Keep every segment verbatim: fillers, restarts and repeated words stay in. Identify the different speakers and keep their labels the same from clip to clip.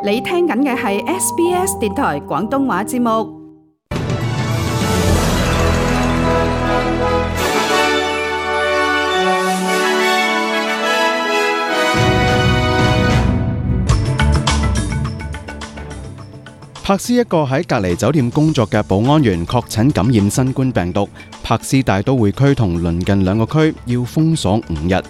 Speaker 1: 你聽緊嘅係 S B S 電台廣東話節目。
Speaker 2: 柏斯一個喺隔離酒店工作嘅保安員確診感染新冠病毒，柏斯大都會區同鄰近兩個區要封鎖五日。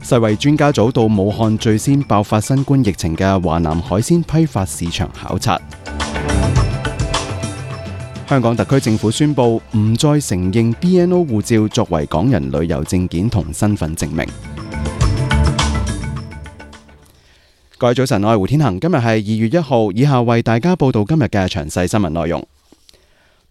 Speaker 2: 世衛專家組到武漢最先爆發新冠疫情嘅華南海鮮批發市場考察。香港特區政府宣布唔再承認 B N O 護照作為港人旅遊證件同身份證明。各位早晨，我係胡天恒，今日係二月一號，以下為大家報道今日嘅詳細新聞內容。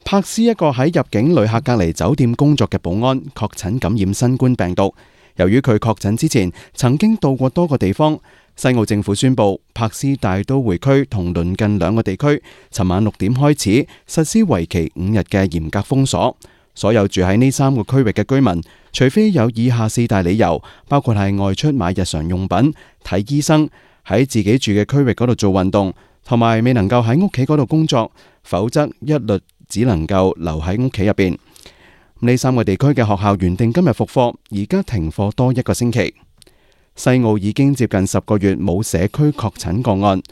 Speaker 2: 柏斯一個喺入境旅客隔離酒店工作嘅保安確診感染新冠病毒，由於佢確診之前曾經到過多個地方，西澳政府宣布柏斯大都會區同鄰近兩個地區尋晚六點開始實施為期五日嘅嚴格封鎖，所有住喺呢三個區域嘅居民，除非有以下四大理由，包括係外出買日常用品、睇醫生、喺自己住嘅區域嗰度做運動，同埋未能夠喺屋企嗰度工作，否則一律只能夠留喺屋企入邊。呢三個地區嘅學校原定今日復課，而家停課多一個星期。西澳已經接近十個月冇社區確診個案，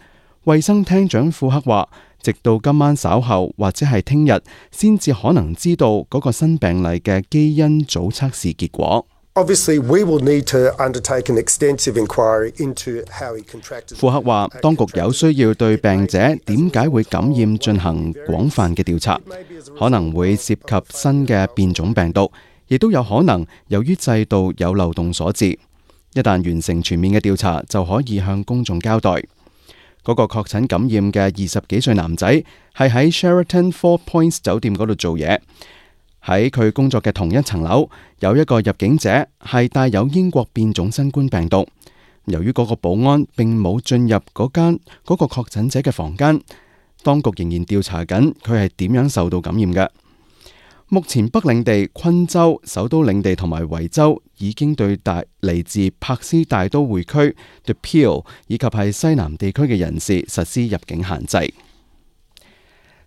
Speaker 2: 衛生廳長庫克話，直到今晚稍後或者係聽日，先至可能知道嗰個新病例嘅基因組測試結果。
Speaker 3: Obviously, we will need to undertake an extensive inquiry into how he contracted.
Speaker 2: 庫克話，當局有需要對病者點解會感染進行廣泛嘅調查，可能會涉及新嘅變種病毒，亦都有可能由於制度有漏洞所致。一旦完成全面嘅調查，就可以向公眾交代。嗰個確診感染嘅二十幾歲男仔係喺 Sheraton Four Points 酒店嗰度做嘢。喺佢工作嘅同一層樓，有一個入境者係帶有英國變種新冠病毒。由於嗰個保安並冇進入嗰間嗰個確診者嘅房間，當局仍然調查緊佢係點樣受到感染嘅。目前北領地、昆州、首都領地同埋維州已經對大嚟自柏斯大都會區 The Peel 以及係西南地區嘅人士實施入境限制。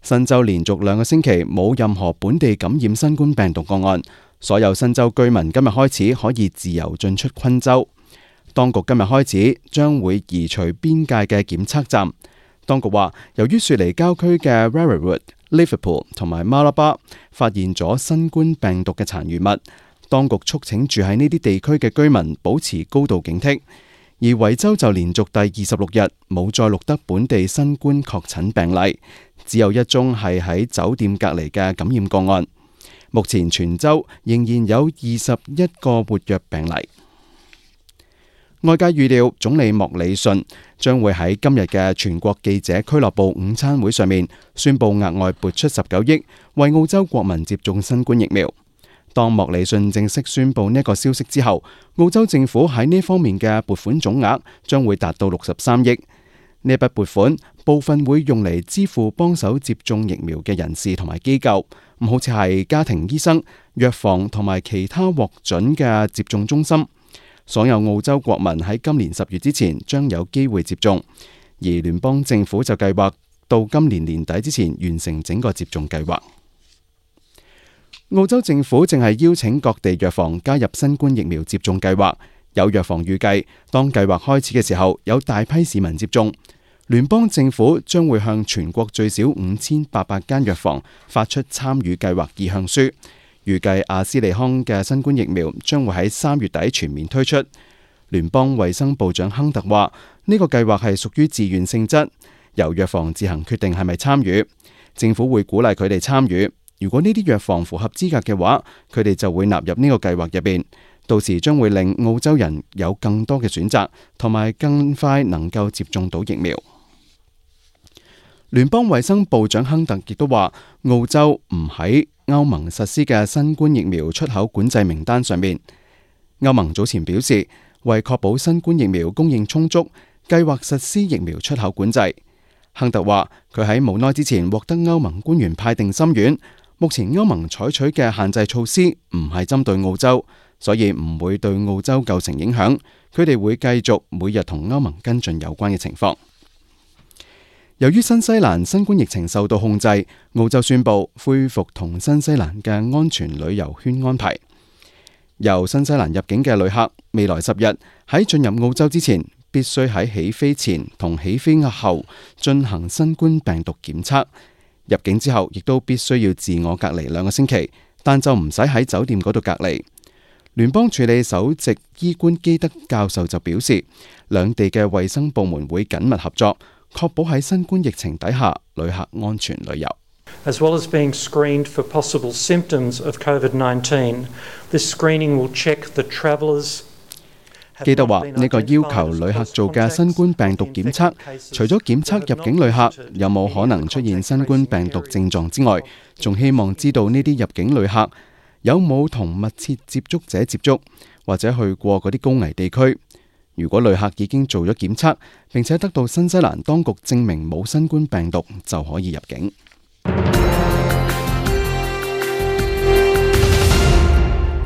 Speaker 2: 新州連續兩個星期冇任何本地感染新冠病毒個案，所有新州居民今日開始可以自由進出昆州。當局今日開始將會移除邊界嘅檢測站。當局話，由於雪梨郊區嘅 Rarrawood、Liverpool 同埋馬拉巴發現咗新冠病毒嘅殘餘物，當局促請住喺呢啲地區嘅居民保持高度警惕。而維州就連續第二十六日冇再錄得本地新冠確診病例，只有一宗係喺酒店隔離嘅感染個案。目前全州仍然有二十一個活躍病例。外界預料總理莫里遜將會喺今日嘅全國記者俱樂部午餐會上面宣布額外撥出十九億為澳洲國民接種新冠疫苗。當莫里遜正式宣布呢個消息之後，澳洲政府喺呢方面嘅撥款總額將會達到六十三億。呢筆撥款部分會用嚟支付幫手接種疫苗嘅人士同埋機構，咁好似係家庭醫生、藥房同埋其他獲准嘅接種中心。所有澳洲國民喺今年十月之前將有機會接種，而聯邦政府就計劃到今年年底之前完成整個接種計劃。澳洲政府正係邀請各地藥房加入新冠疫苗接種計劃。有藥房預計，當計劃開始嘅時候，有大批市民接種。聯邦政府將會向全國最少五千八百間藥房發出參與計劃意向書。預計阿斯利康嘅新冠疫苗將會喺三月底全面推出。聯邦衛生部長亨特話：呢個計劃係屬於自願性質，由藥房自行決定係咪參與。政府會鼓勵佢哋參與。如果呢啲藥房符合資格嘅話，佢哋就會納入呢個計劃入邊。到時將會令澳洲人有更多嘅選擇，同埋更快能夠接種到疫苗。聯邦衛生部長亨特亦都話，澳洲唔喺歐盟實施嘅新冠疫苗出口管制名單上面。歐盟早前表示，為確保新冠疫苗供應充足，計劃實施疫苗出口管制。亨特話，佢喺無耐之前獲得歐盟官員派定心丸。目前歐盟採取嘅限制措施唔係針對澳洲，所以唔會對澳洲構成影響。佢哋會繼續每日同歐盟跟進有關嘅情況。由於新西蘭新冠疫情受到控制，澳洲宣布恢復同新西蘭嘅安全旅遊圈安排。由新西蘭入境嘅旅客，未來十日喺進入澳洲之前，必須喺起飛前同起飛後進行新冠病毒檢測。入境之後，亦都必須要自我隔離兩個星期，但就唔使喺酒店嗰度隔離。聯邦處理首席醫官基德教授就表示，兩地嘅衛生部門會緊密合作，確保喺新冠疫情底下，旅客安全旅遊。
Speaker 4: As well as being screened for possible symptoms of COVID nineteen, this screening will check the travellers.
Speaker 2: 基德話：呢個要求旅客做嘅新冠病毒檢測，除咗檢測入境旅客有冇可能出現新冠病毒症狀之外，仲希望知道呢啲入境旅客有冇同密切接觸者接觸，或者去過嗰啲高危地區。如果旅客已經做咗檢測，並且得到新西蘭當局證明冇新冠病毒，就可以入境。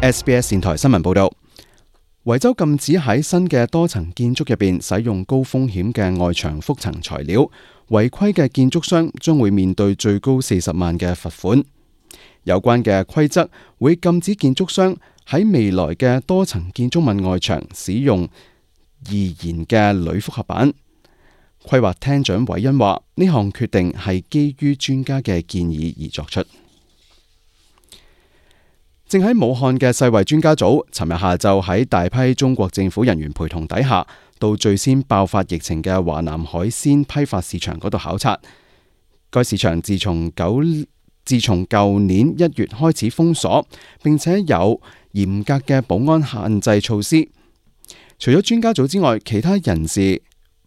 Speaker 2: S B S 電台新聞報道，維州禁止喺新嘅多層建築入邊使用高風險嘅外牆覆層材料，違規嘅建築商將會面對最高四十萬嘅罰款。有關嘅規則會禁止建築商喺未來嘅多層建築物外牆使用易燃嘅鋁複合板。規劃廳長韋恩話：呢項決定係基於專家嘅建議而作出。正喺武漢嘅世衛專家組，尋日下晝喺大批中國政府人員陪同底下，到最先爆發疫情嘅華南海鮮批發市場嗰度考察。該市場自從九自從舊年一月開始封鎖，並且有嚴格嘅保安限制措施。除咗專家組之外，其他人士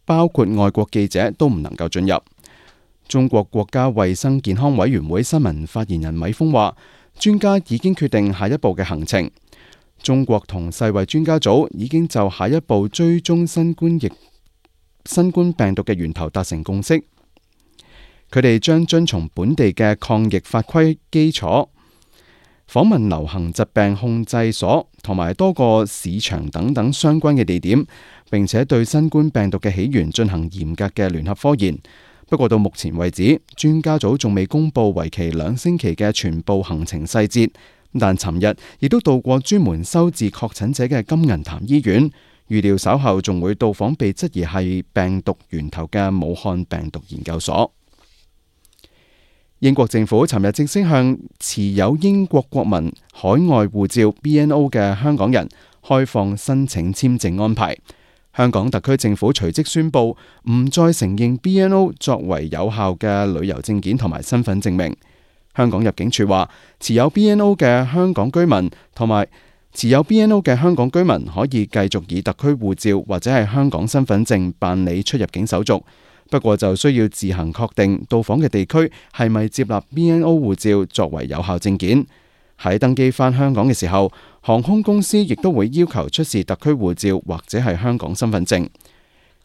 Speaker 2: 包括外國記者都唔能夠進入。中國國家衛生健康委員會新聞發言人米峰話：專家已經決定下一步嘅行程。中國同世衛專家組已經就下一步追蹤新冠疫新冠病毒嘅源頭達成共識。佢哋將遵從本地嘅抗疫法規基礎，訪問流行疾病控制所同埋多個市場等等相關嘅地點，並且對新冠病毒嘅起源進行嚴格嘅聯合科研。不過到目前為止，專家組仲未公布為期兩星期嘅全部行程細節。但尋日亦都到過專門收治確診者嘅金銀潭醫院，預料稍後仲會到訪被質疑係病毒源頭嘅武漢病毒研究所。英國政府尋日正式向持有英國國民海外護照 B N O 嘅香港人開放申請簽證安排。香港特區政府隨即宣布唔再承認 B N O 作為有效嘅旅遊證件同埋身份證明。香港入境處話，持有 B N O 嘅香港居民同埋持有 B N O 嘅香港居民可以繼續以特區護照或者係香港身份證辦理出入境手續，不過就需要自行確定到訪嘅地區係咪接納 B N O 護照作為有效證件。喺登機返香港嘅時候，航空公司亦都會要求出示特區護照或者係香港身份證。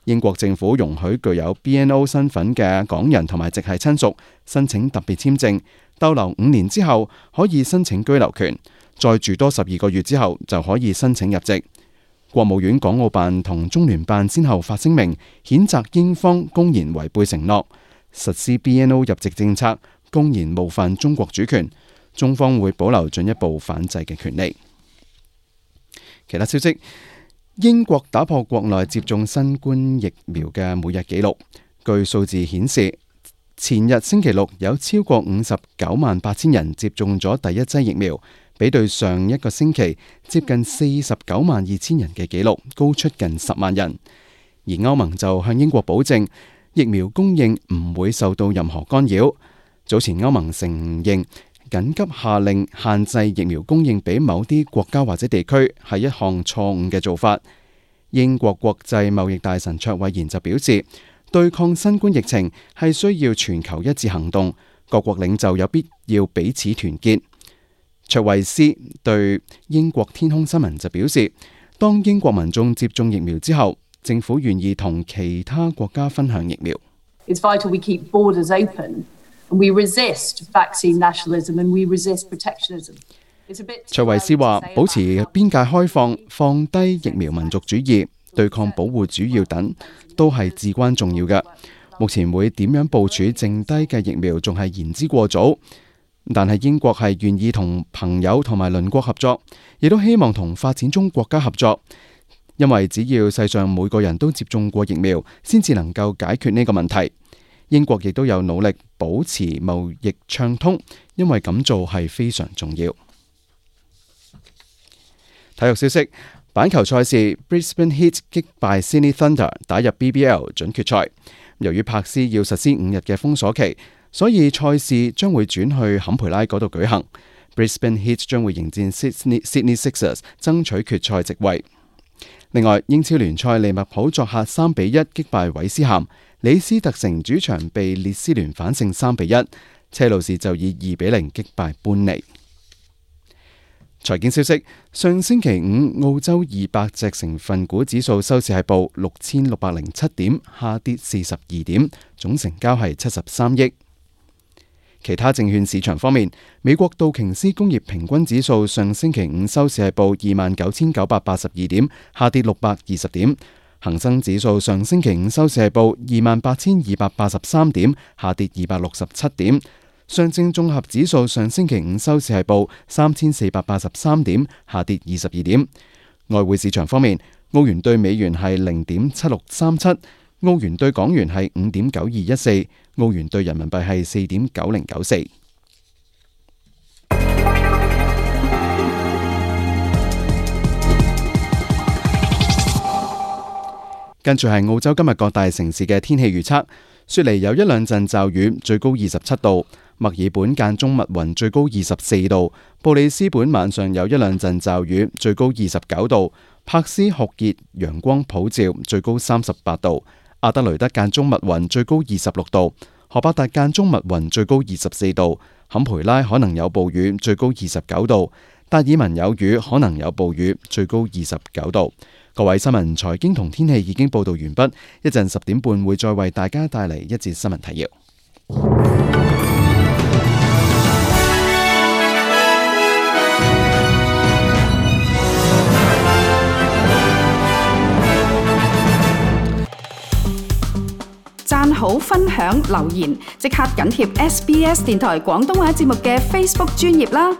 Speaker 2: 英國政府容許具有 B N O 身份嘅港人同埋直系親屬申請特別簽證，逗留五年之後可以申請居留權，再住多十二個月之後就可以申請入籍。國務院港澳辦同中聯辦先後發聲明，譴責英方公然違背承諾，實施 B N O 入籍政策，公然冒犯中國主權。中方會保留進一步反制嘅權利。其他消息，英國打破國內接種新冠疫苗嘅每日紀錄。據數字顯示，前日星期六有超過五十九萬八千人接種咗第一劑疫苗，比對上一個星期接近四十九萬二千人嘅紀錄高出近十萬人。而歐盟就向英國保證，疫苗供應唔會受到任何干擾。早前歐盟承認緊急下令限制疫苗供應俾某啲國家或者地區係一項錯誤嘅做法。英國國際貿易大臣卓慧賢就表示，對抗新冠疫情係需要全球一致行動，各國領袖有必要彼此團結。卓慧思對英國天空新聞就表示，當英國民眾接種疫苗之後，政府願意同其他國家分享疫苗。
Speaker 5: It's vital we keep borders open and we resist vaccine nationalism and we resist protectionism.
Speaker 2: 卓慧思話：保持邊界開放、放低疫苗民族主義、對抗保護主義等，都係至關重要嘅。目前會點樣部署剩低嘅疫苗，仲係言之過早。但係英國係願意同朋友同埋鄰國合作，亦都希望同發展中國家合作，因為只要世上每個人都接種過疫苗，先至能夠解決呢個問題。英國亦都有努力保持貿易暢通，因為咁做係非常重要。體育消息：板球賽事 Brisbane Heat 擊敗 Sydney Thunder 打入 B B L 準決賽。由於柏斯要實施五日嘅封鎖期，所以賽事將會轉去坎培拉嗰度舉行。Brisbane Heat 將會迎戰 Sydney, Sydney Sixers 爭取決賽席位。另外，英超聯賽利物浦作客三比一擊敗韋斯咸，李斯特城主場被列斯聯反勝三比一，車路士就以二比零擊敗般尼。財經消息：上星期五澳洲二百隻成分股指數收市係報六千六百零七點，下跌四十二點，總成交係七十三億。其他證券市場方面，美國道瓊斯工業平均指數上星期五收市係報二萬九千九百八十二點，下跌六百二十點。恒生指數上星期五收市係報二萬八千二百八十三點，下跌二百六十七點。上證綜合指數上星期五收市係報三千四百八十三點，下跌二十二點。外匯市場方面，澳元兌美元係零點七六三七，澳元兌港元係五點九二一四，澳元兌人民幣係四點九零九四。跟住係澳洲今日各大城市嘅天氣預測：雪梨有一兩陣驟雨，最高二十七度；墨爾本間中密雲，最高二十四度；布里斯本晚上有一兩陣驟雨，最高二十九度；柏斯酷熱，陽光普照，最高三十八度；阿德雷德間中密雲，最高二十六度；荷伯特間中密雲，最高二十四度；坎培拉可能有暴雨，最高二十九度；達爾文有雨，可能有暴雨，最高二十九度。各位，新聞、財經同天氣已經報道完畢，一陣十點半會再為大家帶嚟一節新聞提要。
Speaker 1: 讚好、分享、留言，即刻緊貼 S B S 電台廣東話節目嘅 Facebook 專頁啦！